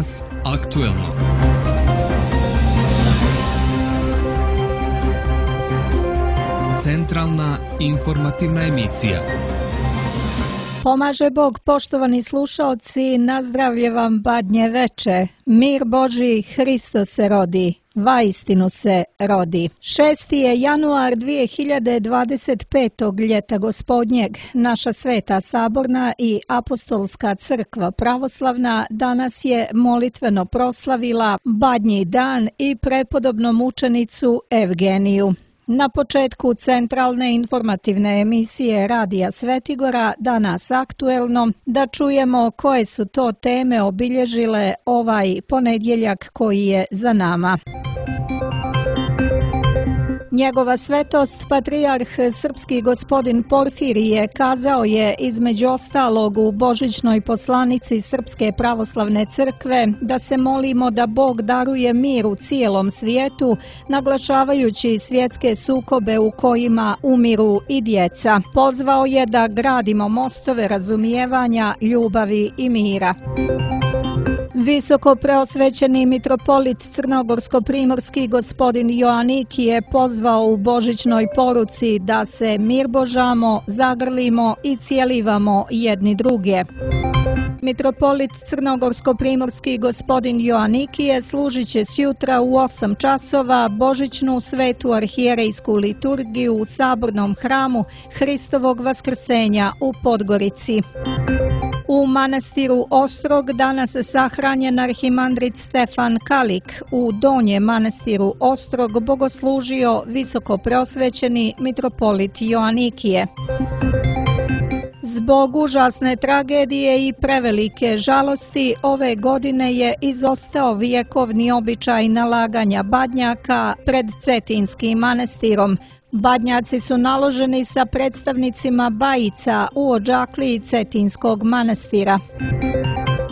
Danas aktuelno. Centralna informativna emisija. Pomaže Bog, poštovani slušaoci, nazdravlje vam badnje veče. Mir Božji, Hristo se rodi, vaistinu se rodi. 6. je januar 2025. ljeta gospodnjeg. Naša Sveta Saborna i Apostolska crkva pravoslavna danas je molitveno proslavila Badnji dan i prepodobnu mučenicu Evgeniju. Na početku centralne informativne emisije Radija Svetigora, danas aktuelno, da čujemo koje su to teme obilježile ovaj ponedjeljak koji je za nama. Njegova svetost, patrijarh srpski gospodin Porfirije, kazao je između ostalog u božićnoj poslanici Srpske pravoslavne crkve da se molimo da Bog daruje mir u cijelom svijetu, naglašavajući svjetske sukobe u kojima umiru i djeca. Pozvao je da gradimo mostove razumijevanja, ljubavi i mira. Visoko preosvećeni mitropolit crnogorsko-primorski gospodin Joaniki je pozvao u božićnoj poruci da se mirbožamo, zagrlimo i cijelivamo jedni druge. Mitropolit crnogorsko-primorski gospodin Joanikije služit će sjutra u 8 časova božićnu svetu arhijerejsku liturgiju u Sabornom hramu Hristovog vaskrsenja u Podgorici. U manastiru Ostrog danas sahranjen arhimandrit Stefan Kalik. U Donjem manastiru Ostrog bogoslužio visoko preosvećeni mitropolit Joanikije. Zbog užasne tragedije i prevelike žalosti, ove godine je izostao vjekovni običaj nalaganja badnjaka pred Cetinskim manastirom. Badnjaci su naloženi sa predstavnicima bajica u odžakliji Cetinskog manastira.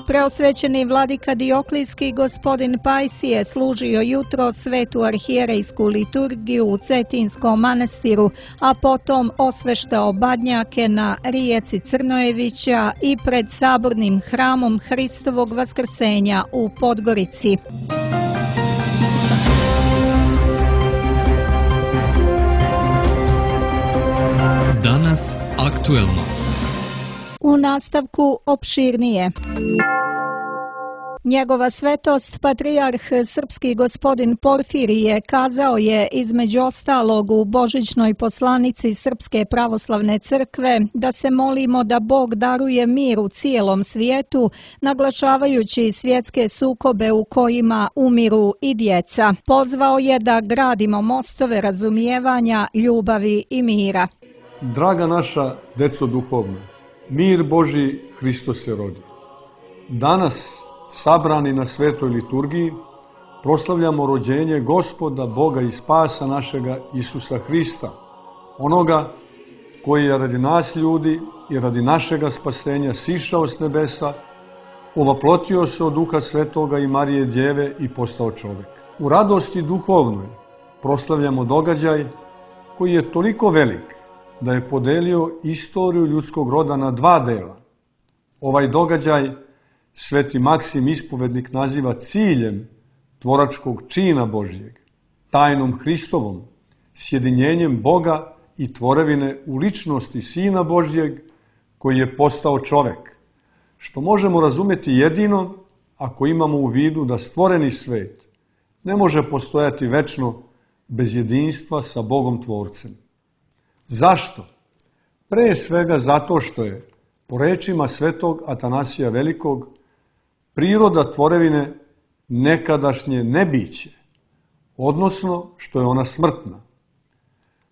Preosvećeni vladika Dioklijski gospodin Pajsije služio jutro svetu arhijerejsku liturgiju u Cetinskom manastiru, a potom osveštao badnjake na rijeci Crnojevića i pred Sabornim hramom Hristovog vaskrsenja u Podgorici. Danas aktuelno. U nastavku opširnije. Njegova svetost, patrijarh srpski gospodin Porfirije, kazao je između ostalog u božićnoj poslanici Srpske pravoslavne crkve da se molimo da Bog daruje mir u cijelom svijetu, naglašavajući svjetske sukobe u kojima umiru i djeca. Pozvao je da gradimo mostove razumijevanja, ljubavi i mira. Draga naša deco duhovna, mir Božji, Hristo se rodi. Danas, sabrani na svetoj liturgiji, proslavljamo rođenje Gospoda, Boga i Spasa našega Isusa Hrista, onoga koji je radi nas ljudi i radi našega spasenja sišao s nebesa, ovaplotio se od Duha Svetoga i Marije Djeve i postao čovjek. U radosti duhovnoj proslavljamo događaj koji je toliko velik da je podelio istoriju ljudskog roda na 2 dela. Ovaj događaj Sveti Maksim Ispovednik naziva ciljem tvoračkog čina Božjeg, tajnom Hristovom, sjedinjenjem Boga i tvorevine u ličnosti Sina Božjeg koji je postao čovek, što možemo razumjeti jedino ako imamo u vidu da stvoreni svet ne može postojati večno bez jedinstva sa Bogom Tvorcem. Zašto? Pre svega zato što je, po rečima svetog Atanasija Velikog, priroda tvorevine nekadašnje nebiće, odnosno što je ona smrtna.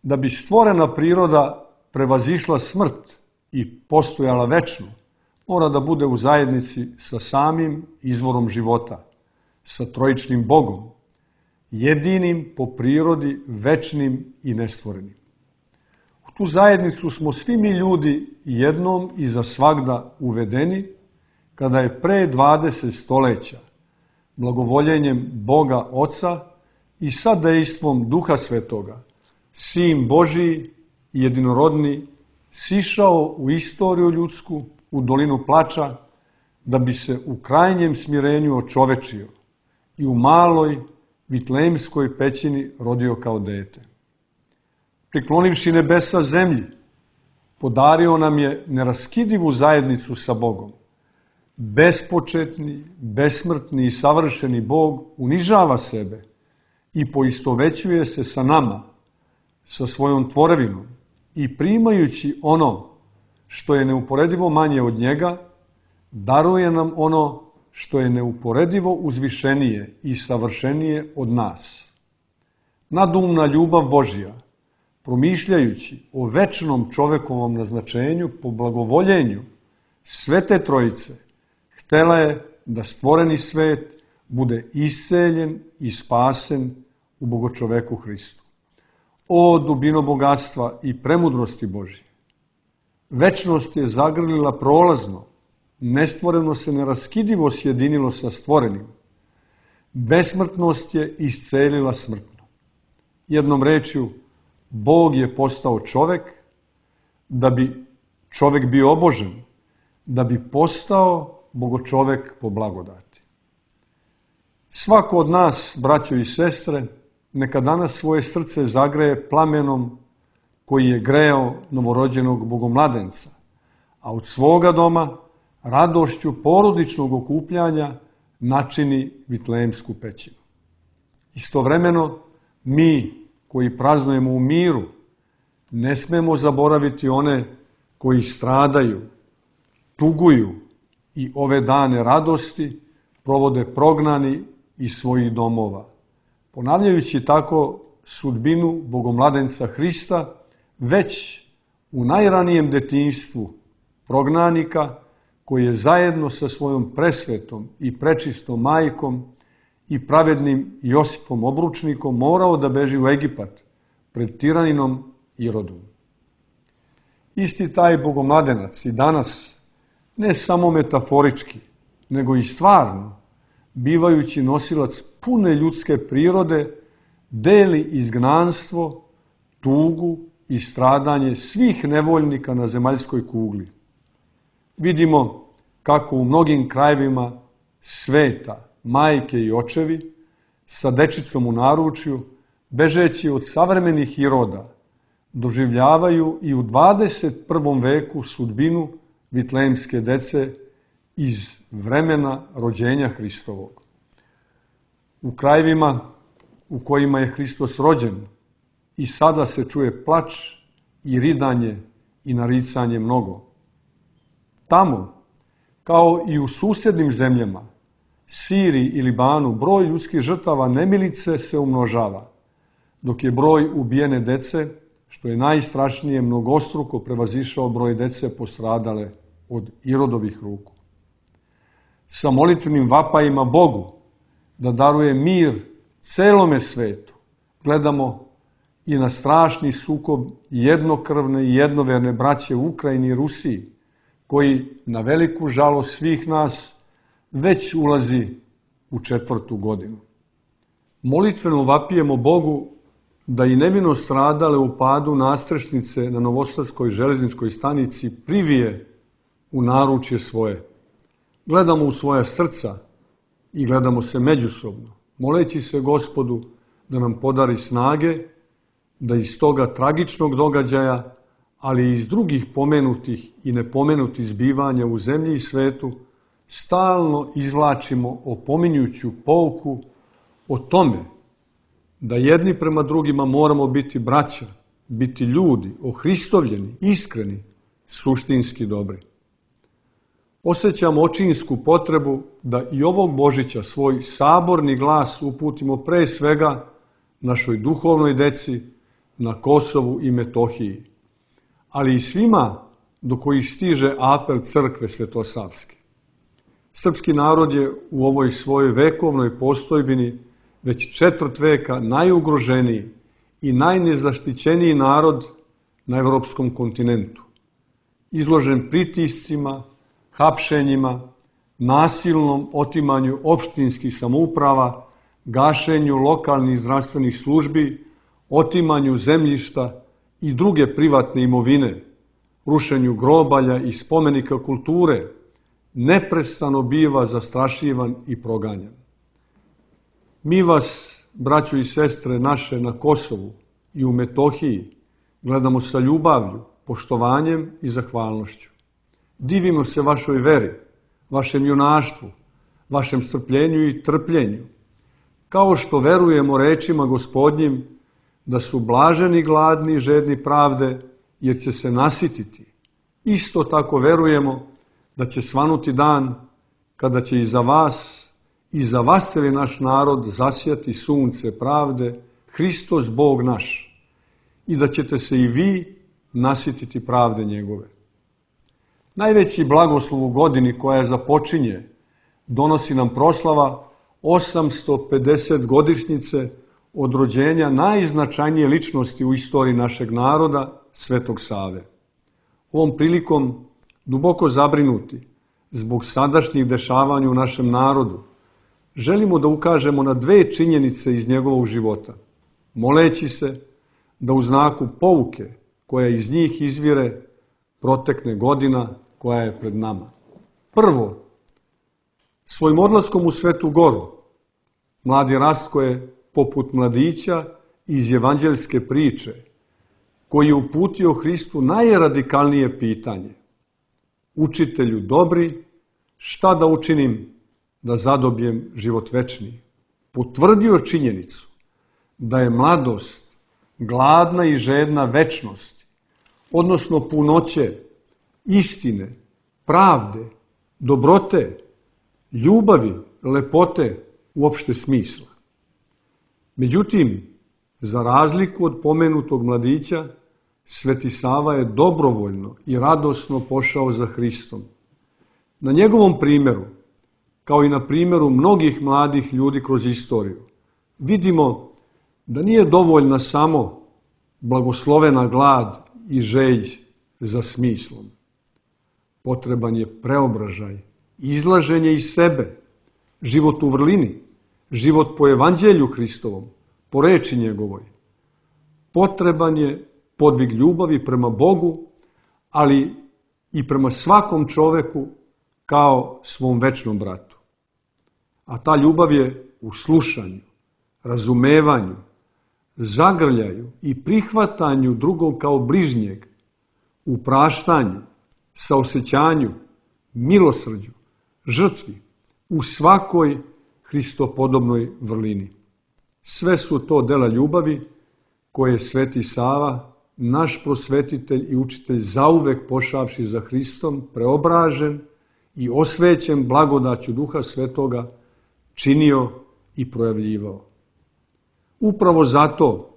Da bi stvorena priroda prevazišla smrt i postojala večno, mora da bude u zajednici sa samim izvorom života, sa trojičnim Bogom, jedinim po prirodi, večnim i nestvorenim. U tu zajednicu smo svi mi ljudi jednom i za svagda uvedeni, kada je pre 20 stoljeća blagovoljenjem Boga Oca i sa dejstvom Duha Svetoga, Sin Božiji i jedinorodni, sišao u istoriju ljudsku, u dolinu plača, da bi se u krajnjem smirenju očovečio i u maloj Vitlejemskoj pećini rodio kao dete. Priklonivši nebesa zemlji, podario nam je neraskidivu zajednicu sa Bogom. Bespočetni, besmrtni i savršeni Bog unižava sebe i poistovećuje se sa nama, sa svojom tvorevinom i primajući ono što je neuporedivo manje od njega, daruje nam ono što je neuporedivo uzvišenije i savršenije od nas. Nadumna ljubav Božja, promišljajući o večnom čovekovom naznačenju po blagovoljenju Svete Trojice, htela je da stvoreni svet bude isceljen i spasen u Bogočoveku Hristu. O dubino bogatstva i premudrosti Božje! Večnost je zagrlila prolazno, nestvoreno se neraskidivo sjedinilo sa stvorenim. Besmrtnost je iscelila smrtno. Jednom rečju, Bog je postao čovek da bi čovek bio obožen, da bi postao Bogočovek po blagodati. Svako od nas, braćo i sestre, neka danas svoje srce zagreje plamenom koji je greo novorođenog bogomladenca, a od svoga doma radošću porodičnog okupljanja načini Vitlejemsku pećinu. Istovremeno, mi koji praznujemo u miru, ne smemo zaboraviti one koji stradaju, tuguju i ove dane radosti provode prognani iz svojih domova, ponavljajući tako sudbinu bogomladenca Hrista već u najranijem detinjstvu prognanika koji je zajedno sa svojom presvetom i prečistom majkom i pravednim Josipom obručnikom morao da beži u Egipat pred tiraninom Irodom. Isti taj bogomladenac i danas, ne samo metaforički, nego i stvarno, bivajući nosilac pune ljudske prirode, deli izgnanstvo, tugu i stradanje svih nevoljnika na zemaljskoj kugli. Vidimo kako u mnogim krajevima sveta majke i očevi sa dečicom u naručju, bežeći od savremenih Iroda, doživljavaju i u 21. veku sudbinu vitlejemske dece iz vremena rođenja Hristovog. U krajevima u kojima je Hristos rođen i sada se čuje plač i ridanje i naricanje mnogo. Tamo, kao i u susednim zemljama, Siriji i Libanu, broj ljudskih žrtava nemilice se umnožava, dok je broj ubijene dece, što je najstrašnije, mnogostruko prevazišao broj dece postradale od Irodovih ruku. Sa molitvenim vapajima Bogu da daruje mir celome svetu, gledamo i na strašni sukob jednokrvne i jednoverne braće u Ukrajini i Rusiji, koji na veliku žalost svih nas već ulazi u 4. godinu. Molitveno vapijemo Bogu da i nevino stradale u padu nastrešnice na Novosadskoj železničkoj stanici privije u naručje svoje. Gledamo u svoja srca i gledamo se međusobno, moleći se Gospodu da nam podari snage, da iz toga tragičnog događaja, ali i iz drugih pomenutih i nepomenutih zbivanja u zemlji i svetu, stalno izvlačimo opominjuću pouku o tome da jedni prema drugima moramo biti braća, biti ljudi, ohristovljeni, iskreni, suštinski dobri. Osjećam očinsku potrebu da i ovog Božića svoj saborni glas uputimo pre svega našoj duhovnoj deci na Kosovu i Metohiji, ali i svima do kojih stiže apel crkve Svetosavske. Srpski narod je u ovoj svojoj vekovnoj postojbini već 4 veka najugroženiji i najnezaštićeniji narod na evropskom kontinentu, izložen pritiscima, hapšenjima, nasilnom otimanju opštinskih samouprava, gašenju lokalnih zdravstvenih službi, otimanju zemljišta i druge privatne imovine, rušenju grobalja i spomenika kulture, neprestano biva zastrašivan i proganjan. Mi vas, braćo i sestre naše na Kosovu i u Metohiji, gledamo sa ljubavlju, poštovanjem i zahvalnošću. Divimo se vašoj veri, vašem junaštvu, vašem strpljenju i trpljenju, kao što verujemo rečima Gospodnjim da su blaženi gladni i žedni pravde, jer će se nasititi. Isto tako verujemo da će svanuti dan kada će i za vas celi naš narod zasjati sunce pravde, Hristos Bog naš, i da ćete se i vi nasititi pravde njegove. Najveći blagoslov u godini koja započinje donosi nam proslava 850 godišnjice od rođenja najznačajnije ličnosti u istoriji našeg naroda, Svetog Save. Ovom prilikom, duboko zabrinuti zbog sadašnjih dešavanja u našem narodu, želimo da ukažemo na dve činjenice iz njegovog života, moleći se da u znaku pouke koja iz njih izvire protekne godina koja je pred nama. Prvo, svojim odlaskom u Svetu Goru, mladi Rastko je, poput mladića iz evanđeljske priče, koji je uputio Hristu najradikalnije pitanje: Učitelju dobri, šta da učinim da zadobijem život večni? Potvrdio činjenicu da je mladost gladna i žedna večnosti, odnosno punoće, istine, pravde, dobrote, ljubavi, lepote, uopšte smisla. Međutim, za razliku od pomenutog mladića, Sveti Sava je dobrovoljno i radosno pošao za Hristom. Na njegovom primjeru, kao i na primjeru mnogih mladih ljudi kroz istoriju, vidimo da nije dovoljna samo blagoslovena glad i želj za smislom. Potreban je preobražaj, izlaženje iz sebe, život u vrlini, život po evanđelju Hristovom, po reči njegovoj. Potreban je podvig ljubavi prema Bogu, ali i prema svakom čoveku kao svom večnom bratu. A ta ljubav je u slušanju, razumevanju, zagrljaju i prihvatanju drugog kao bližnjeg, u praštanju, saosećanju, milosrđu, žrtvi, u svakoj Hristopodobnoj vrlini. Sve su to dela ljubavi koje je Sveti Sava, naš prosvetitelj i učitelj, zauvek pošavši za Hristom, preobražen i osvećen blagodaću Duha Svetoga, činio i projavljivao. Upravo zato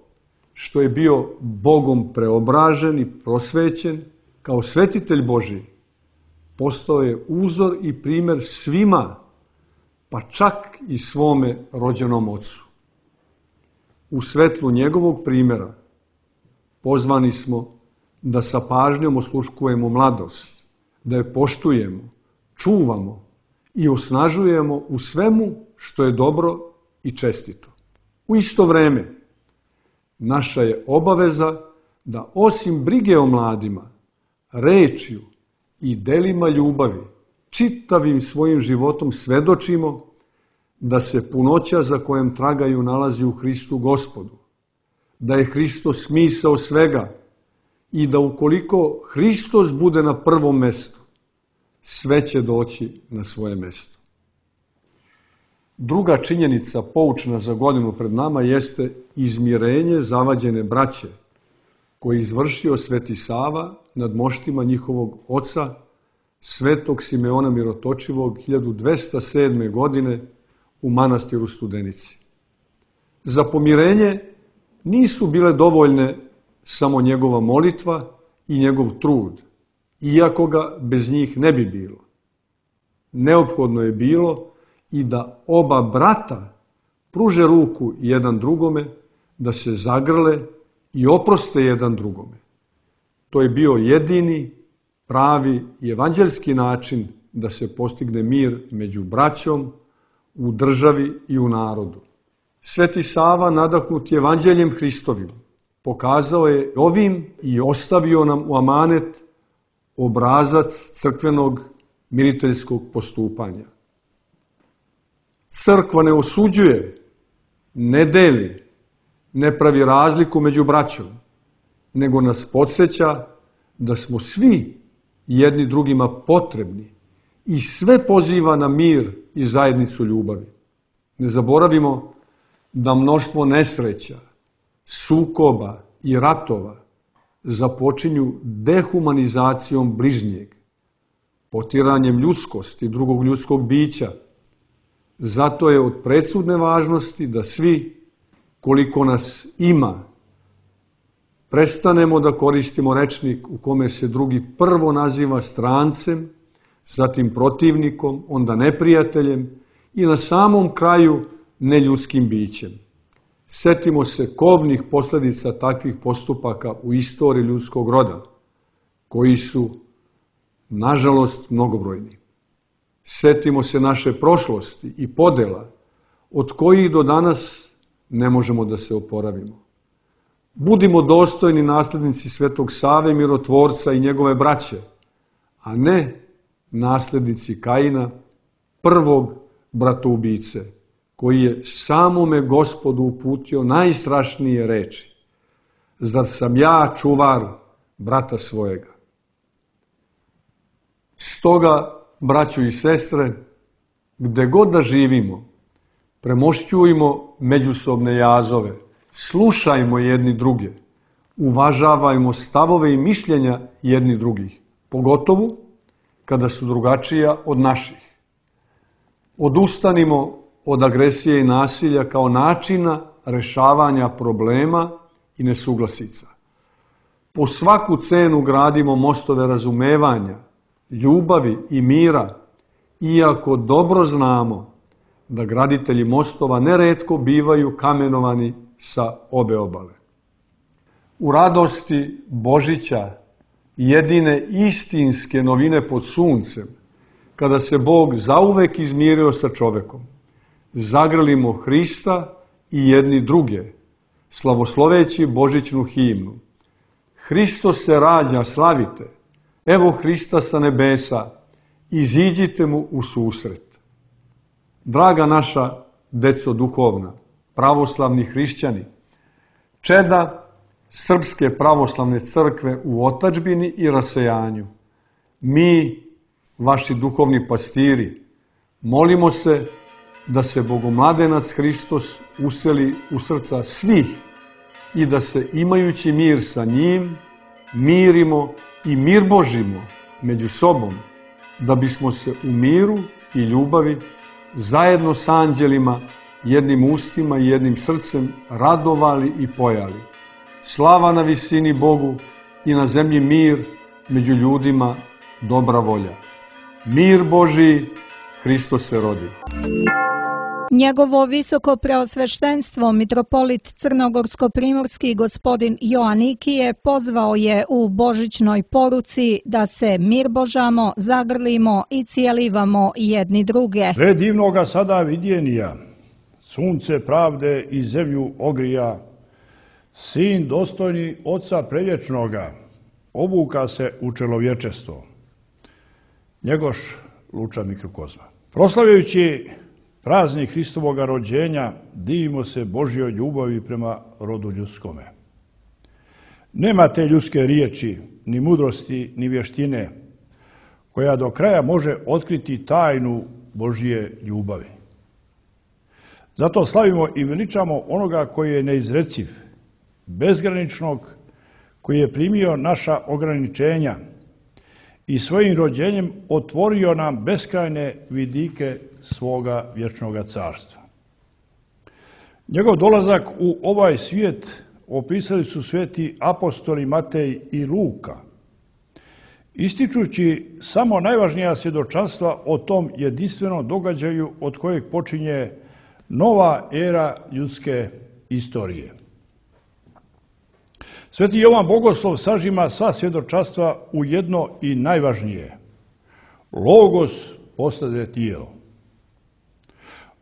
što je bio Bogom preobražen i prosvećen, kao svetitelj Božji, postao je uzor i primjer svima, pa čak i svome rođenom ocu. U svetlu njegovog primjera pozvani smo da sa pažnjom osluškujemo mladost, da je poštujemo, čuvamo i osnažujemo u svemu što je dobro i čestito. U isto vreme, naša je obaveza da osim brige o mladima, rečju i delima ljubavi, čitavim svojim životom svedočimo da se punoća za kojem tragaju nalazi u Hristu Gospodu, da je Hristos smisao svega i da ukoliko Hristos bude na prvom mestu, sve će doći na svoje mesto. Druga činjenica poučna za godinu pred nama jeste izmirenje zavađene braće koji je izvršio Sveti Sava nad moštima njihovog oca, Svetog Simeona Mirotočivog, 1207. godine u manastiru Studenici. Za pomirenje nisu bile dovoljne samo njegova molitva i njegov trud, iako ga bez njih ne bi bilo. Neophodno je bilo i da oba brata pruže ruku jedan drugome, da se zagrle i oproste jedan drugome. To je bio jedini, pravi i evanđelski način da se postigne mir među braćom, u državi i u narodu. Sveti Sava, nadahnut evanđeljem Hristovim, pokazao je ovim i ostavio nam u amanet obrazac crkvenog miriteljskog postupanja. Crkva ne osuđuje, ne deli, ne pravi razliku među braćom, nego nas podsjeća da smo svi jedni drugima potrebni i sve poziva na mir i zajednicu ljubavi. Ne zaboravimo da mnoštvo nesreća, sukoba i ratova započinju dehumanizacijom bližnjeg, potiranjem ljudskosti drugog ljudskog bića. Zato je od presudne važnosti da svi, koliko nas ima, prestanemo da koristimo rečnik u kome se drugi prvo naziva strancem, zatim protivnikom, onda neprijateljem i na samom kraju neljudskim bićem. Setimo se kobnih posljedica takvih postupaka u istoriji ljudskog roda, koji su, nažalost, mnogobrojni. Setimo se naše prošlosti i podela, od kojih do danas ne možemo da se oporavimo. Budimo dostojni nasljednici Svetog Save Mirotvorca i njegove braće, a ne nasljednici Kaina, prvog bratoubice, koji je samome Gospodu uputio najstrašnije reči: zar sam ja čuvar brata svojega? Stoga, braćo i sestre, gde god da živimo, premošćujmo međusobne jazove, slušajmo jedni druge, uvažavajmo stavove i mišljenja jedni drugih, pogotovo kada su drugačija od naših. Odustanimo od agresije i nasilja kao načina rešavanja problema i nesuglasica. Po svaku cenu gradimo mostove razumevanja, ljubavi i mira, iako dobro znamo da graditelji mostova neretko bivaju kamenovani sa obe obale. U radosti Božića, jedine istinske novine pod suncem, kada se Bog zauvek izmirio sa čovekom, zagrlimo Hrista i jedni druge, slavosloveći božićnu himnu. Hristos se rađa, slavite, evo Hrista sa nebesa, iziđite mu u susret. Draga naša deco duhovna, pravoslavni hrišćani, čeda Srpske pravoslavne crkve u otadžbini i rasejanju, mi, vaši duhovni pastiri, molimo se da se Bogomladenac Hristos useli u srca svih i da se, imajući mir sa njim, mirimo i mir Božimo među sobom, da bismo se u miru i ljubavi zajedno s anđelima, jednim ustima i jednim srcem radovali i pojali. Slava na visini Bogu i na zemlji mir, među ljudima dobra volja. Mir Božiji, Hristos se rodi. Njegovo visoko preosveštenstvo mitropolit crnogorsko-primorski gospodin Joanikije pozvao je u božićnoj poruci da se mir božamo, zagrlimo i cijelivamo jedni druge. Sve divnoga sada vidjenija, sunce pravde i zemlju ogrija, sin dostojni Oca prevječnoga, obuka se u čelovječestvo. Njegoš Luča Mikrokozma. Proslavljajući praznik Hristovoga rođenja, divimo se Božjoj ljubavi prema rodu ljudskome. Nema te ljudske riječi, ni mudrosti, ni vještine, koja do kraja može otkriti tajnu Božje ljubavi. Zato slavimo i veličamo onoga koji je neizreciv, bezgraničnog, koji je primio naša ograničenja i svojim rođenjem otvorio nam beskrajne vidike svoga vječnoga carstva. Njegov dolazak u ovaj svijet opisali su sveti apostoli Matej i Luka, ističući samo najvažnija svjedočanstva o tom jedinstvenom događaju od kojeg počinje nova era ljudske istorije. Sveti Jovan Bogoslov sažima sva svjedočanstva u jedno i najvažnije. Logos postade tijelo.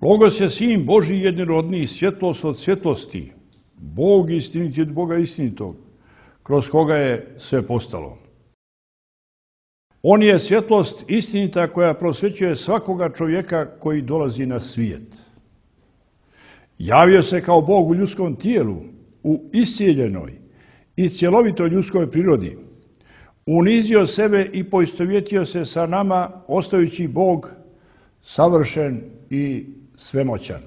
Logos je sin Božji jedinorodni, svjetlost od svjetlosti, Bog istiniti od Boga istinitog, kroz koga je sve postalo. On je svjetlost istinita koja prosvećuje svakoga čovjeka koji dolazi na svijet. Javio se kao Bog u ljudskom tijelu, u iscijeljenoj i cjelovitoj ljudskoj prirodi. Unizio sebe i poistovjetio se sa nama, ostajući Bog savršen i svemoćan.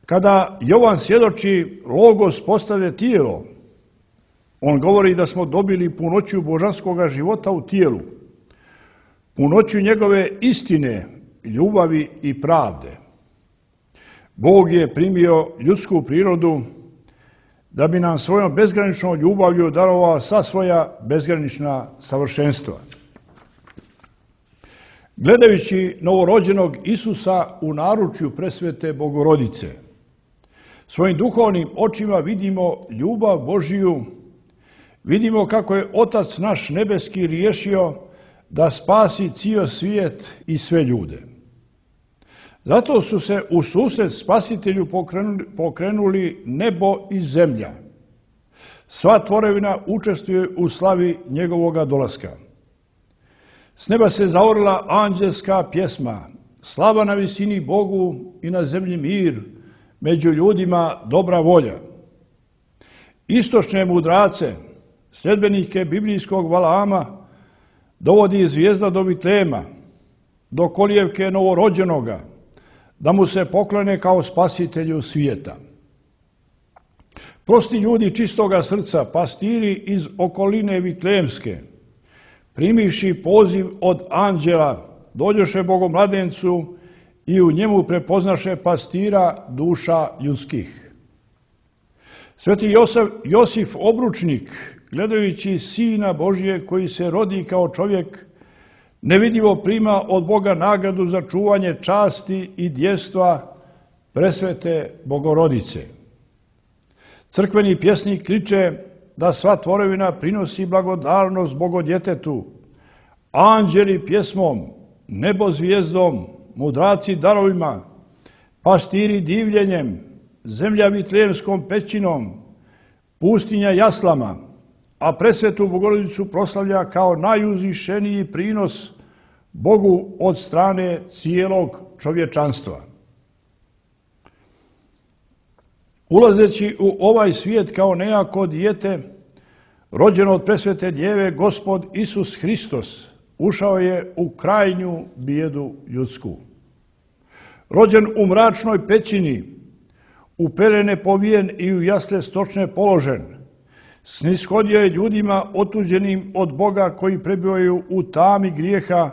Kada Jovan svjedoči Logos postade tijelo, on govori da smo dobili punoću božanskoga života u tijelu, punoću njegove istine, ljubavi i pravde. Bog je primio ljudsku prirodu da bi nam svojom bezgraničnom ljubavlju darovao sva svoja bezgranična savršenstva. Gledajući novorođenog Isusa u naručju presvete Bogorodice, svojim duhovnim očima vidimo ljubav Božiju, vidimo kako je Otac naš nebeski riješio da spasi cijel svijet i sve ljude. Zato su se u susret Spasitelju pokrenuli nebo i zemlja. Sva tvorevina učestvuje u slavi njegovoga dolaska. S neba se zaorila anđelska pjesma, slava na visini Bogu i na zemlji mir, među ljudima dobra volja. Istočne mudrace, sljedbenike biblijskog Valaama, dovodi zvijezda do Vitlema, do kolijevke novorođenoga, da mu se poklone kao spasitelju svijeta. Prosti ljudi čistoga srca, pastiri iz okoline Vitlemske, primivši poziv od anđela, dođoše Bogomladencu i u njemu prepoznaše pastira duša ljudskih. Sveti Josif Obručnik, gledajući Sina Božije koji se rodi kao čovjek, nevidljivo prima od Boga nagradu za čuvanje časti i djestva presvete Bogorodice. Crkveni pjesnik kliče da sva tvorevina prinosi blagodarnost Bogodjetetu, anđeli pjesmom, nebo zvijezdom, mudraci darovima, pastiri divljenjem, zemlja Vitlemskom pećinom, pustinja jaslama, a presvetu Bogorodicu proslavlja kao najuzvišeniji prinos Bogu od strane cijelog čovječanstva. Ulazeći u ovaj svijet kao nejako dijete, rođeno od presvete djeve, Gospod Isus Hristos ušao je u krajnju bijedu ljudsku. Rođen u mračnoj pećini, u pelene povijen i u jasle stočne položen, snishodio je ljudima otuđenim od Boga koji prebivaju u tami grijeha,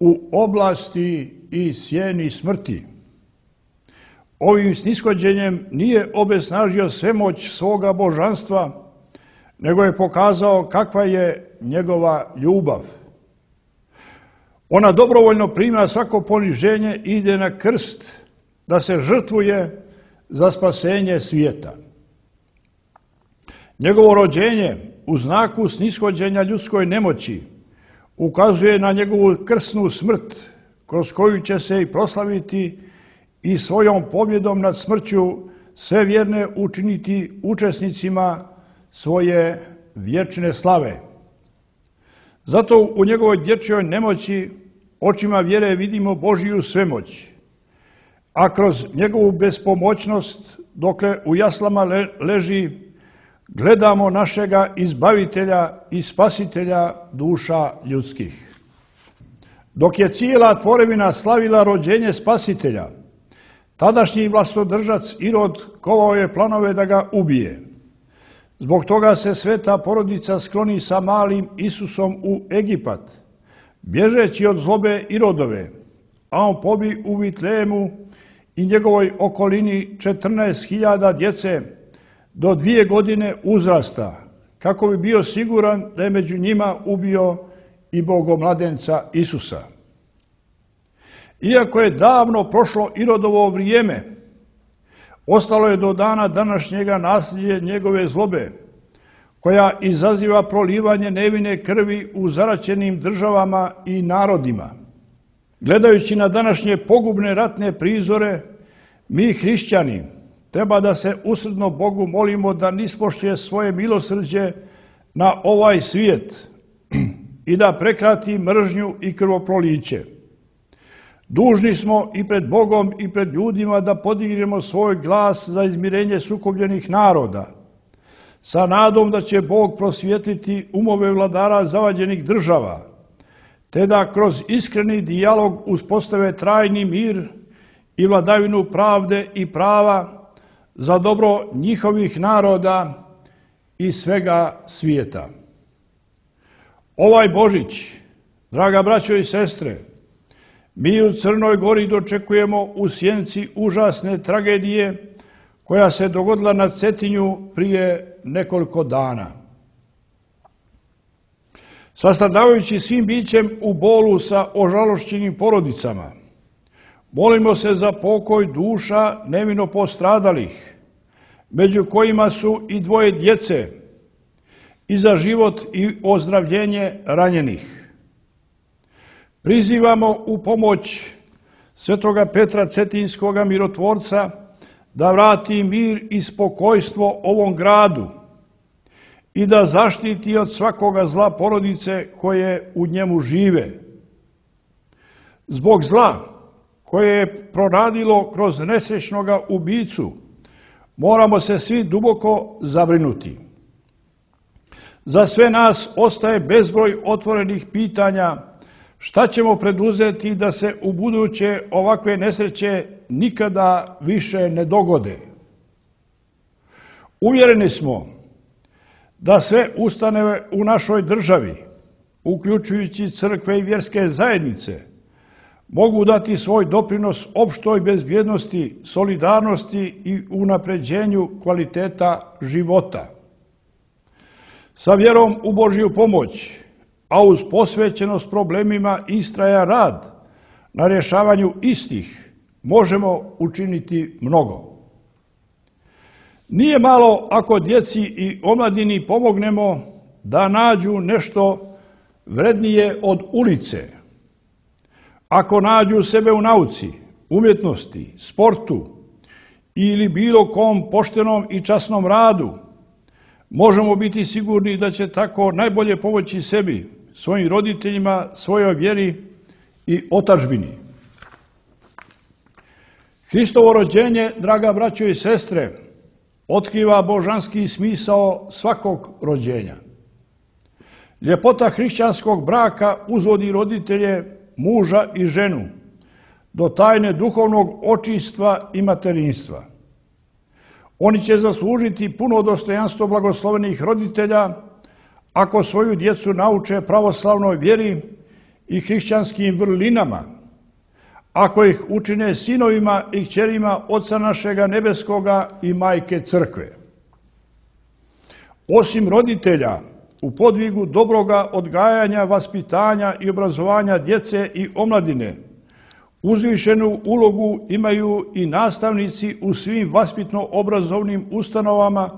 u oblasti i sjeni smrti. Ovim snishođenjem nije obesnažio svemoć svoga božanstva, nego je pokazao kakva je njegova ljubav. Ona dobrovoljno prima svako poniženje i ide na krst da se žrtvuje za spasenje svijeta. Njegovo rođenje u znaku snishođenja ljudskoj nemoći ukazuje na njegovu krsnu smrt kroz koju će se i proslaviti i svojom pobjedom nad smrću sve vjerne učiniti učesnicima svoje vječne slave. Zato u njegovoj dječjoj nemoći očima vjere vidimo Božiju svemoć, a kroz njegovu bespomoćnost dokle u jaslama leži gledamo našega izbavitelja i spasitelja duša ljudskih. Dok je cijela tvorevina slavila rođenje spasitelja, tadašnji vlastodržac Irod kovao je planove da ga ubije. Zbog toga se sveta porodica skloni sa malim Isusom u Egipat, bježeći od zlobe Irodove, a on pobi u Vitlemu i njegovoj okolini 14.000 djece do 2 godine uzrasta, kako bi bio siguran da je među njima ubio i Bogomladenca Isusa. Iako je davno prošlo Irodovo vrijeme, ostalo je do dana današnjega nasljeđe njegove zlobe, koja izaziva prolivanje nevine krvi u zaraćenim državama i narodima. Gledajući na današnje pogubne ratne prizore, mi hrišćani treba da se usrdno Bogu molimo da nispoštuje svoje milosrđe na ovaj svijet i da prekrati mržnju i krvoproliće. Dužni smo i pred Bogom i pred ljudima da podignemo svoj glas za izmirenje sukobljenih naroda, sa nadom da će Bog prosvijetliti umove vladara zavađenih država, te da kroz iskreni dijalog uspostave trajni mir i vladavinu pravde i prava za dobro njihovih naroda i svega svijeta. Ovaj Božić, draga braćo i sestre, mi u Crnoj Gori dočekujemo u sjenci užasne tragedije koja se dogodila na Cetinju prije nekoliko dana. Sastradavajući svim bićem u bolu sa ožalošćenim porodicama, molimo se za pokoj duša nevino postradalih, među kojima su i 2 djece, i za život i ozdravljenje ranjenih. Prizivamo u pomoć svetoga Petra Cetinskoga mirotvorca da vrati mir i spokojstvo ovom gradu i da zaštiti od svakoga zla porodice koje u njemu žive. Zbog zla koje je proradilo kroz nesrećnoga ubicu, moramo se svi duboko zabrinuti. Za sve nas ostaje bezbroj otvorenih pitanja šta ćemo preduzeti da se u buduće ovakve nesreće nikada više ne dogode. Uvjereni smo da sve ustanove u našoj državi, uključujući crkve i vjerske zajednice, mogu dati svoj doprinos opštoj bezbjednosti, solidarnosti i unapređenju kvaliteta života. Sa vjerom u Božju pomoć, a uz posvećenost problemima istraja rad na rješavanju istih, možemo učiniti mnogo. Nije malo ako djeci i omladini pomognemo da nađu nešto vrednije od ulice. Ako nađu sebe u nauci, umjetnosti, sportu ili bilo kom poštenom i časnom radu, možemo biti sigurni da će tako najbolje pomoći sebi, svojim roditeljima, svojoj vjeri i otadžbini. Hristovo rođenje, draga braćo i sestre, otkriva božanski smisao svakog rođenja. Ljepota hrišćanskog braka uzvodi roditelje, muža i ženu, do tajne duhovnog očistva i materinstva. Oni će zaslužiti puno dostojanstvo blagoslovenih roditelja ako svoju djecu nauče pravoslavnoj vjeri i hrišćanskim vrlinama, ako ih učine sinovima i kćerima Oca našega nebeskoga i Majke Crkve. Osim roditelja, u podvigu dobroga odgajanja, vaspitanja i obrazovanja djece i omladine, uzvišenu ulogu imaju i nastavnici u svim vaspitno-obrazovnim ustanovama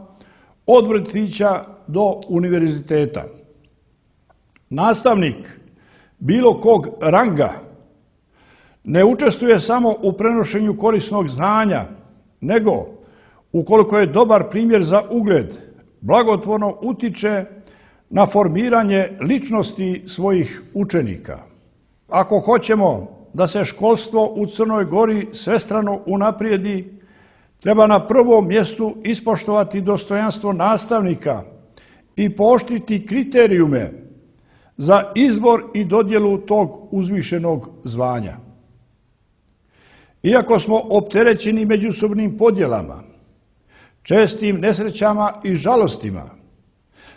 od vrtića do univerziteta. Nastavnik bilo kog ranga ne učestvuje samo u prenošenju korisnog znanja, nego, ukoliko je dobar primjer za ugled, blagotvorno utiče na formiranje ličnosti svojih učenika. Ako hoćemo da se školstvo u Crnoj Gori svestrano unaprijedi, treba na prvom mjestu ispoštovati dostojanstvo nastavnika i pooštriti kriterijume za izbor i dodjelu tog uzvišenog zvanja. Iako smo opterećeni međusobnim podjelama, čestim nesrećama i žalostima,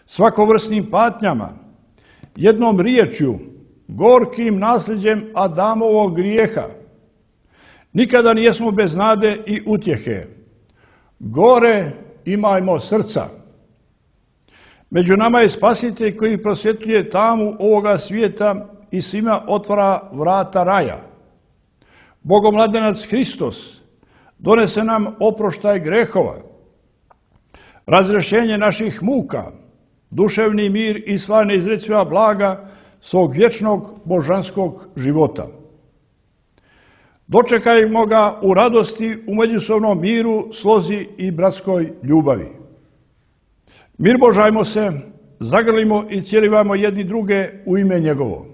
svakovrsnim patnjama, jednom riječju, gorkim nasljeđem Adamovog grijeha, nikada nijesmo bez nade i utjehe. Gore imajmo srca. Među nama je Spasitelj koji prosvjetljuje tamu ovoga svijeta i svima otvara vrata raja. Bogomladenac Hristos donese nam oproštaj grehova, razrješenje naših muka, duševni mir i sva neizreciva blaga svog vječnog božanskog života. Dočekajmo ga u radosti, u međusobnom miru, slozi i bratskoj ljubavi. Mir božajmo se zagrlimo i cijelivamo jedni druge u ime njegovo.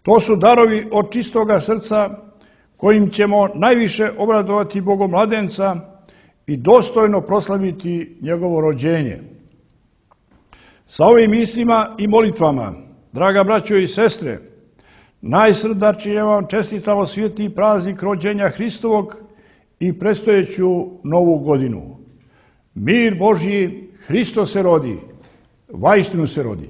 To su darovi od čistoga srca kojim ćemo najviše obradovati Bogomladenca i dostojno proslaviti njegovo rođenje. Sa ovim mislima i molitvama, draga braćo i sestre, najsrdačnije vam čestitamo sveti praznik rođenja Hristovog i predstojeću novu godinu. Mir Božji, Hristos se rodi, vaistinu se rodi.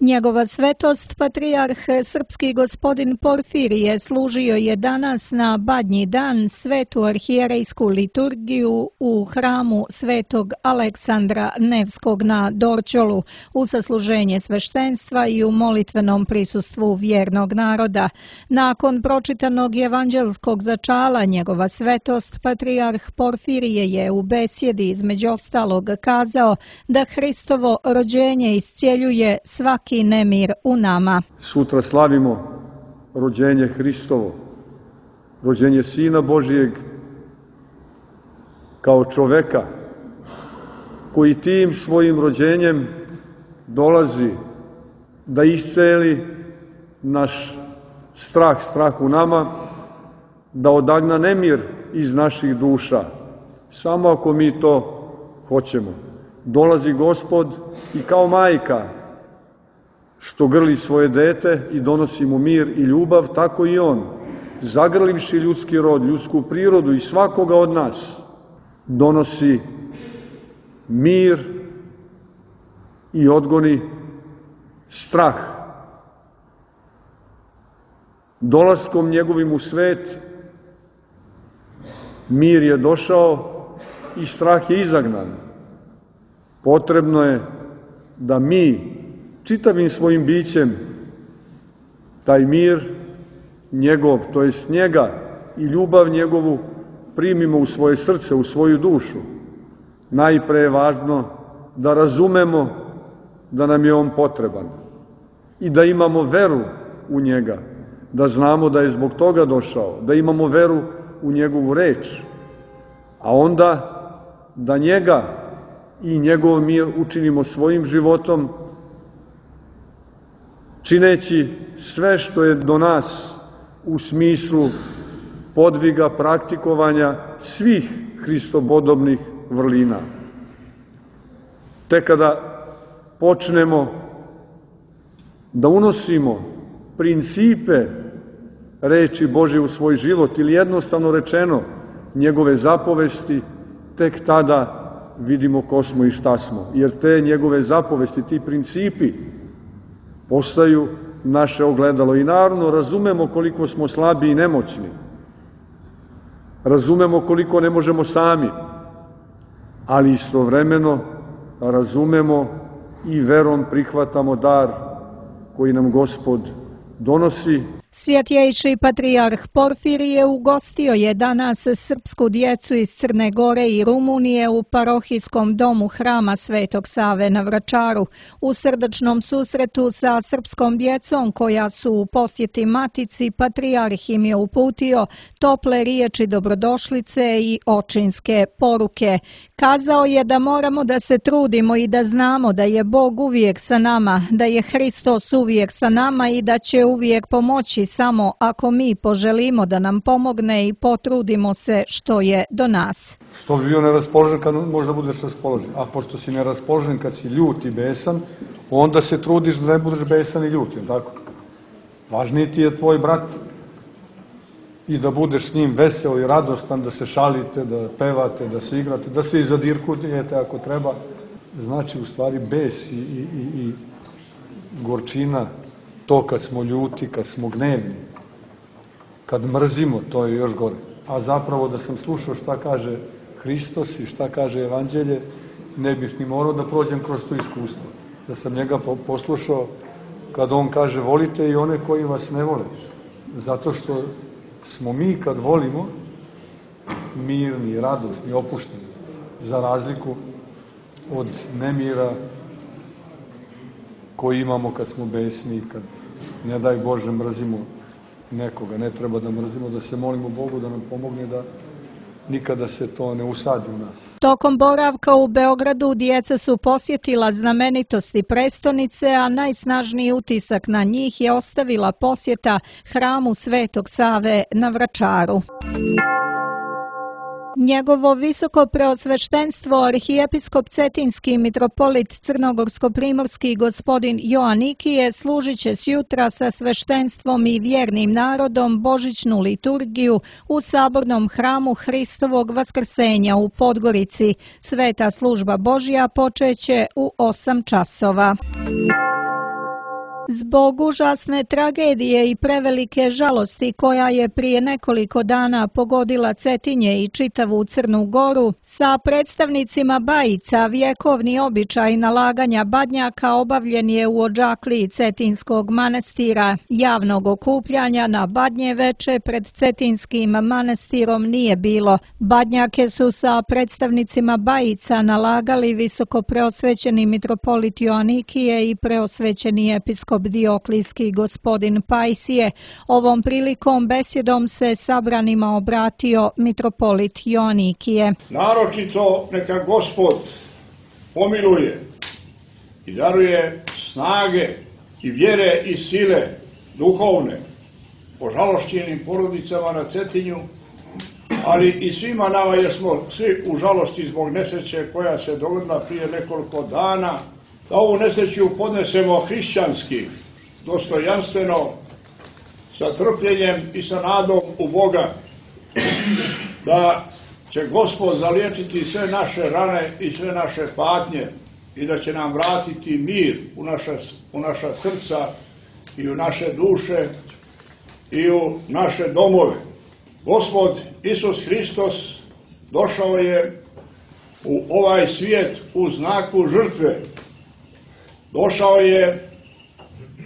Njegova svetost, patrijarh srpski gospodin Porfirije, služio je danas na Badnji dan svetu arhijerejsku liturgiju u hramu svetog Aleksandra Nevskog na Dorćolu, u sasluženje sveštenstva i u molitvenom prisustvu vjernog naroda. Nakon pročitanog evanđelskog začala, njegova svetost, patrijarh Porfirije je u besjedi između ostalog kazao da Hristovo rođenje iscjeljuje svaki nemir u nama. Sutra slavimo rođenje Hristovo, rođenje Sina Božijeg kao čoveka koji tim svojim rođenjem dolazi da isceli naš strah u nama, da odagna nemir iz naših duša, samo ako mi to hoćemo. Dolazi Gospod i kao majka što grli svoje dete i donosi mu mir i ljubav, tako i on, zagrlivši ljudski rod, ljudsku prirodu i svakoga od nas, donosi mir i odgoni strah. Dolaskom njegovim u svet, mir je došao i strah je izagnan. Potrebno je da mi čitavim svojim bićem taj mir njegov, to jest njega i ljubav njegovu primimo u svoje srce, u svoju dušu. Najpre je važno da razumemo da nam je on potreban i da imamo veru u njega, da znamo da je zbog toga došao, da imamo veru u njegovu reč, a onda da njega i njegov mir učinimo svojim životom, čineći sve što je do nas u smislu podviga, praktikovanja svih hristopodobnih vrlina. Tek kada počnemo da unosimo principe reči Božje u svoj život ili jednostavno rečeno njegove zapovesti, tek tada vidimo ko smo i šta smo. Jer te njegove zapovesti, ti principi postaju naše ogledalo i naravno razumemo koliko smo slabi i nemoćni. Razumemo koliko ne možemo sami, ali istovremeno razumemo i verom prihvatamo dar koji nam Gospod donosi. Svjetjejši patrijarh Porfirije ugostio je danas srpsku djecu iz Crne Gore i Rumunije u parohijskom domu hrama Svetog Save na Vračaru. U srdačnom susretu sa srpskom djecom koja su u posjeti matici, patrijarh im je uputio tople riječi dobrodošlice i očinske poruke. Kazao je da moramo da se trudimo i da znamo da je Bog uvijek sa nama, da je Hristos uvijek sa nama i da će uvijek pomoći samo ako mi poželimo da nam pomogne i potrudimo se što je do nas. Što bi bio neraspoložen kad možda budeš raspoložen? A pošto si neraspoložen kad si ljut i besan, onda se trudiš da ne budeš besan i ljut, je li tako? Važniji ti je tvoj brat i da budeš s njim veseo i radostan, da se šalite, da pevate, da se igrate, da se i zadirkujete ako treba. Znači u stvari bes i gorčina, to kad smo ljuti, kad smo gnevni, kad mrzimo, to je još gore. A zapravo da sam slušao šta kaže Hristos i šta kaže Evanđelje, ne bih ni morao da prođem kroz to iskustvo. Da sam njega poslušao kad on kaže volite i one koji vas ne vole. Zato što smo mi kad volimo mirni, radosni, opušteni, za razliku od nemira koji imamo kad smo besni, kad ne daj Bože mrzimo nekoga. Ne treba da mrzimo, da se molimo Bogu da nam pomogne nikada se to ne usadi u nas. Tokom boravka u Beogradu djeca su posjetila znamenitosti prestonice, a najsnažniji utisak na njih je ostavila posjeta hramu Svetog Save na Vračaru. Njegovo visoko preosveštenstvo arhijepiskop Cetinski mitropolit crnogorsko-primorski gospodin Joanikije služit će sjutra sa sveštenstvom i vjernim narodom božićnu liturgiju u sabornom hramu Hristovog vaskrsenja u Podgorici. Sveta služba Božja počeće u 8 časova. Zbog užasne tragedije i prevelike žalosti koja je prije nekoliko dana pogodila Cetinje i čitavu Crnu Goru, sa predstavnicima Bajica vjekovni običaj nalaganja badnjaka obavljen je u odžakliji Cetinskog manastira. Javnog okupljanja na badnje veče pred Cetinskim manastirom nije bilo. Badnjake su sa predstavnicima Bajica nalagali visoko preosvećeni mitropolit Joanikije i preosvećeni episkop Dioklijski gospodin Pajsije. Ovom prilikom besjedom se sabranima obratio mitropolit Joanikije. Naročito neka Gospod pomiluje i daruje snage i vjere i sile duhovne požalošćenim porodicama na Cetinju, ali i svima nama, jer smo svi u žalosti zbog nesreće koja se dogodila prije nekoliko dana, da ovu nesreću podnesemo hrišćanski, dostojanstveno, sa trpljenjem i sa nadom u Boga, da će Gospod zaliječiti sve naše rane i sve naše patnje i da će nam vratiti mir u naša srca i u naše duše i u naše domove. Gospod Isus Hristos došao je u ovaj svijet u znaku žrtve. Došao je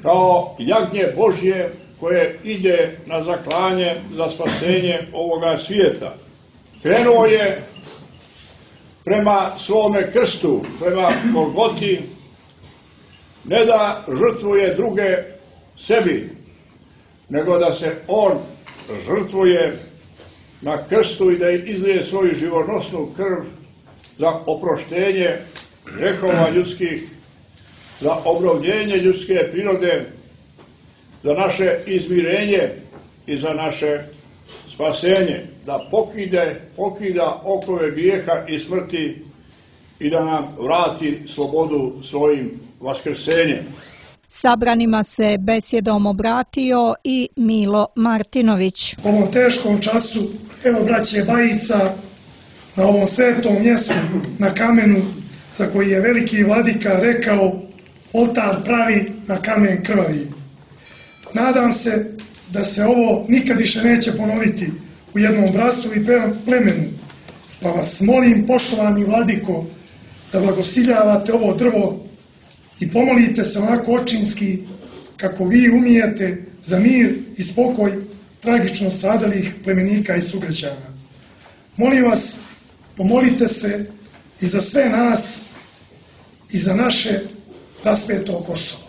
kao jagnje Božje koje ide na zaklanje za spasenje ovoga svijeta. Krenuo je prema svome krstu, prema Golgoti, ne da žrtvuje druge sebi, nego da se on žrtvuje na krstu i da izlije svoju živonosnu krv za oproštenje grehova ljudskih, za obnovljenje ljudske prirode, za naše izmirenje i za naše spasenje, da pokida okove grijeha i smrti i da nam vrati slobodu svojim vaskrsenjem. Sabranima se besjedom obratio i Milo Martinović. U ovom teškom času, evo braće Bajica, na ovom svetom mjestu, na kamenu za koji je veliki vladika rekao, oltar pravi na kamen krvavi. Nadam se da se ovo nikad više neće ponoviti u jednom bratstvu i plemenu, pa vas molim, poštovani vladiko, da blagosiljavate ovo drvo i pomolite se onako očinski kako vi umijete za mir i spokoj tragično stradalih plemenika i sugrađana. Molim vas, pomolite se i za sve nas i za naše raspeto Kosovo.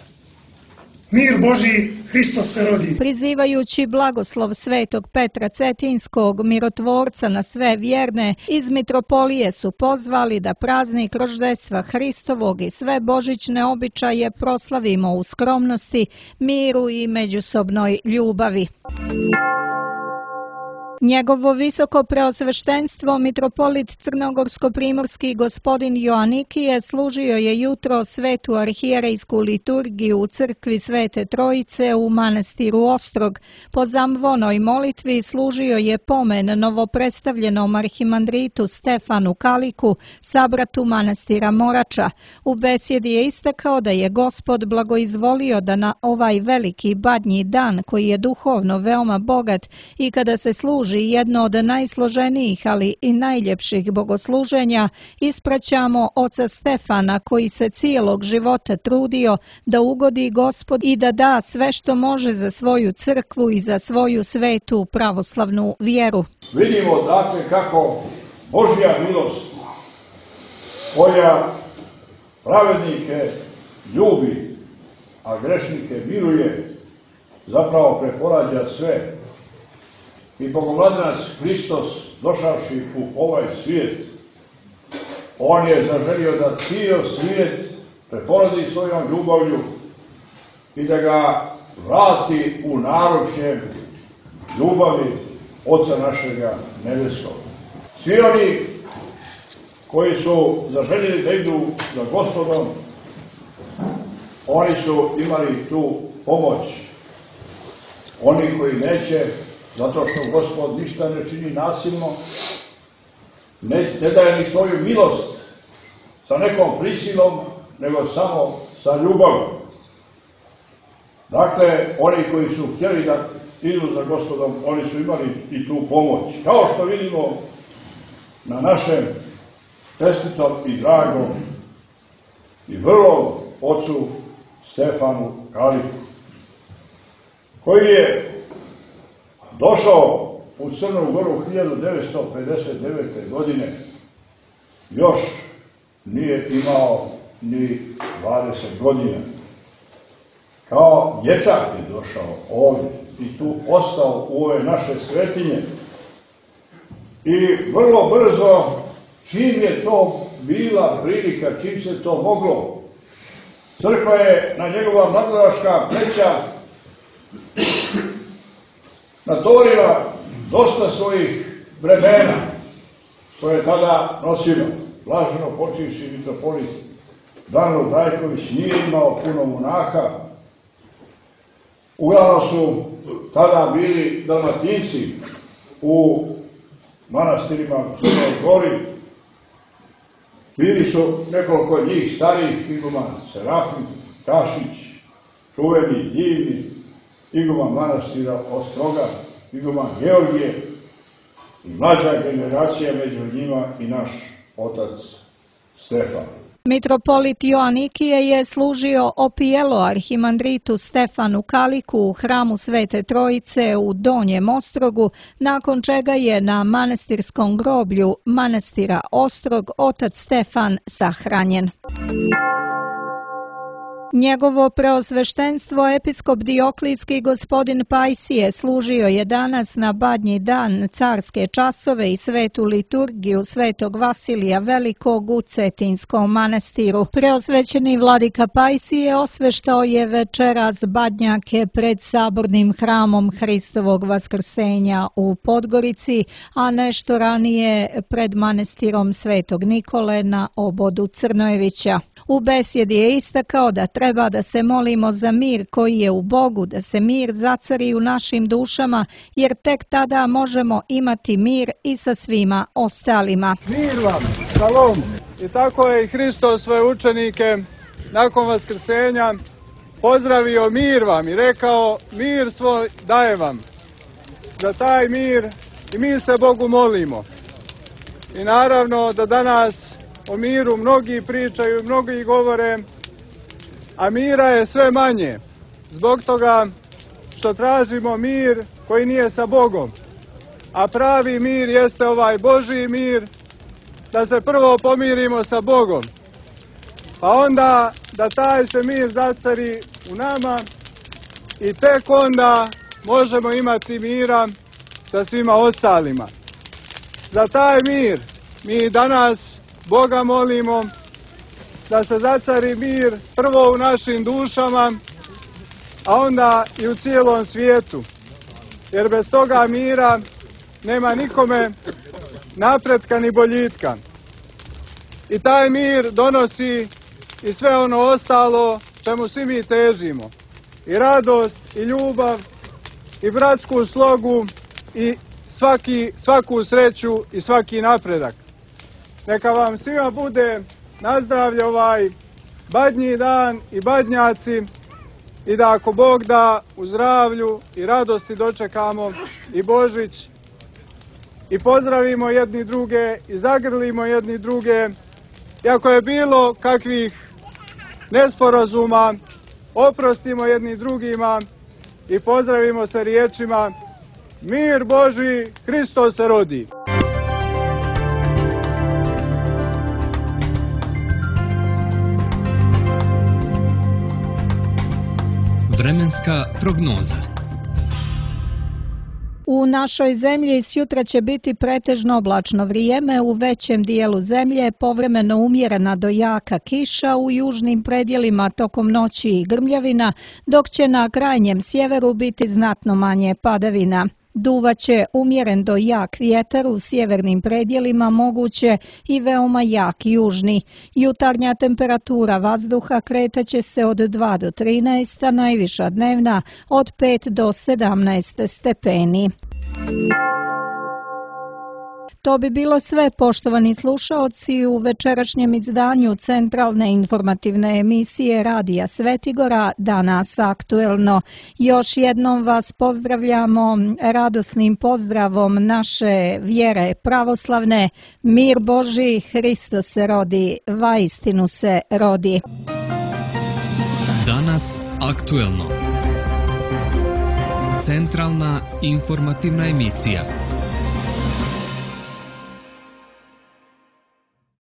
Mir Božji, Hristos se rodi. Prizivajući blagoslov svetog Petra Cetinskog, mirotvorca na sve vjerne, iz mitropolije su pozvali da praznik roždestva Hristovog i sve božićne običaje proslavimo u skromnosti, miru i međusobnoj ljubavi. Njegovo visoko preosveštenstvo mitropolit crnogorsko-primorski gospodin Joanikije služio je jutro svetu arhijerejsku liturgiju u crkvi Svete Trojice u manastiru Ostrog. Po zamvonoj molitvi služio je pomen novopredstavljenom arhimandritu Stefanu Kaliku, sabratu manastira Morača. U besjedi je istakao da je Gospod blagoizvolio da na ovaj veliki badnji dan, koji je duhovno veoma bogat i kada se služi jedno od najsloženijih, ali i najljepših bogosluženja, ispraćamo oca Stefana koji se cijelog života trudio da ugodi Gospod i da da sve što može za svoju crkvu i za svoju svetu pravoslavnu vjeru. Vidimo dakle kako Božja milost koja pravednike ljubi, a grešnike miruje, zapravo preporađa sve. I Bogovladanac Hristos došavši u ovaj svijet, on je zaželio da cijel svijet preporodi svojom ljubavlju i da ga vrati u naručje ljubavi Oca našega nebeskog. Svi oni koji su zaželjeli da idu za Gospodom, oni su imali tu pomoć. Oni koji neće, zato što Gospod ništa ne čini nasilno, ne daje ni svoju milost sa nekom prisilom, nego samo sa ljubavljom. Dakle, oni koji su htjeli da idu za Gospodom, oni su imali i tu pomoć. Kao što vidimo na našem čestitom i dragom i vrlom ocu Stefanu Kaliku, koji je došao u Crnu Goru 1959. godine, još nije imao ni 20 godina. Kao dječak je došao ovdje i tu ostao u ove naše svetinje. I vrlo brzo, čim je to bila prilika, čim se to moglo, crkva je na njegova mladoraška pleća natovarila dosta svojih bremena koje je tada nosila. Blaženo počivši mitropolit Danilo Brajković nije imao puno monaha. Uglavnom su tada bili Dalmatinci u manastirima u Crnoj Gori. Bili su nekoliko od njih starijih, iguman Serafim Kašić, čuveni, divni, iguman manastira Ostroga, iguman Georgije i mlađa generacija među njima i naš otac Stefan. Mitropolit Joanikije je služio opijelo arhimandritu Stefanu Kaliku u hramu Svete Trojice u Donjem Ostrogu, nakon čega je na manastirskom groblju manastira Ostrog otac Stefan sahranjen. Njegovo preosveštenstvo episkop Dioklijski gospodin Pajsije služio je danas na Badnji dan carske časove i svetu liturgiju svetog Vasilija Velikog u Cetinskom manastiru. Preosvećeni vladika Pajsije osveštao je večeras badnjake pred sabornim hramom Hristovog vaskrsenja u Podgorici, a nešto ranije pred manastirom Svetog Nikole na obodu Crnojevića. U besjedi je istakao da treba da se molimo za mir koji je u Bogu, da se mir zacari u našim dušama, jer tek tada možemo imati mir i sa svima ostalima. Mir vam, šalom. I tako je i Hristos svoje učenike nakon vaskrsenja pozdravio mir vam i rekao mir svoj daje vam. Za taj mir i mi se Bogu molimo. I naravno da danas o miru mnogi pričaju, mnogi govore, a mira je sve manje. Zbog toga što tražimo mir koji nije sa Bogom. A pravi mir jeste ovaj Božji mir, da se prvo pomirimo sa Bogom. Pa onda da taj se mir zacari u nama i tek onda možemo imati mira sa svima ostalima. Za taj mir mi danas Boga molimo da se zacari mir prvo u našim dušama, a onda i u cijelom svijetu. Jer bez toga mira nema nikome napretka ni boljitka. I taj mir donosi i sve ono ostalo čemu svi mi težimo. I radost, i ljubav, i bratsku slogu, i svaku sreću i svaki napredak. Neka vam svima bude na zdravlje ovaj badnji dan i badnjaci i da ako Bog da u zdravlju i radosti dočekamo i Božić i pozdravimo jedni druge i zagrlimo jedni druge. I ako je bilo kakvih nesporazuma, oprostimo jedni drugima i pozdravimo se riječima mir Božji, Hristos se rodi. Vremenska prognoza. U našoj zemlji sjutra će biti pretežno oblačno vrijeme, u većem dijelu zemlje povremeno umjerena do jaka kiša, u južnim predjelima tokom noći i grmljavina, dok će na krajnjem sjeveru biti znatno manje padavina. Duvaće umjeren do jak vjetar u sjevernim predjelima, moguće i veoma jak južni. Jutarnja temperatura vazduha kretaće se od 2 do 13, a najviša dnevna od 5 do 17 stepeni. To bi bilo sve, poštovani slušaoci, u večerašnjem izdanju centralne informativne emisije Radija Svetigora, Danas aktuelno. Još jednom vas pozdravljamo radosnim pozdravom naše vjere pravoslavne. Mir Božji, Hristos se rodi, vaistinu se rodi. Danas aktuelno. Centralna informativna emisija.